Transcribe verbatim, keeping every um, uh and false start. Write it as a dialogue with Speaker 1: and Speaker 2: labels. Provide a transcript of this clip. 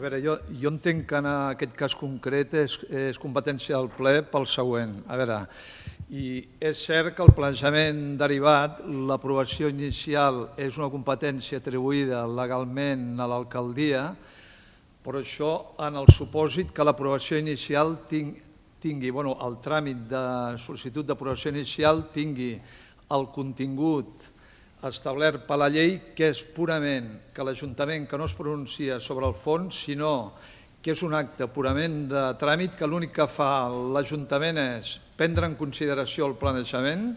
Speaker 1: A veure, jo, jo entenc que en aquest cas concret és, és competència del ple pel següent. A veure, i és cert que el planejament derivat, l'aprovació inicial és una competència atribuïda legalment a l'alcaldia, però això en el supòsit que l'aprovació inicial tingui, tingui bueno, el tràmit de sol·licitud d'aprovació inicial tingui el contingut establert per la llei, que és purament que l'Ajuntament que no es pronuncia sobre el fons, sinó que és un acte purament de tràmit, que l'únic que fa l'Ajuntament és prendre en consideració el planejament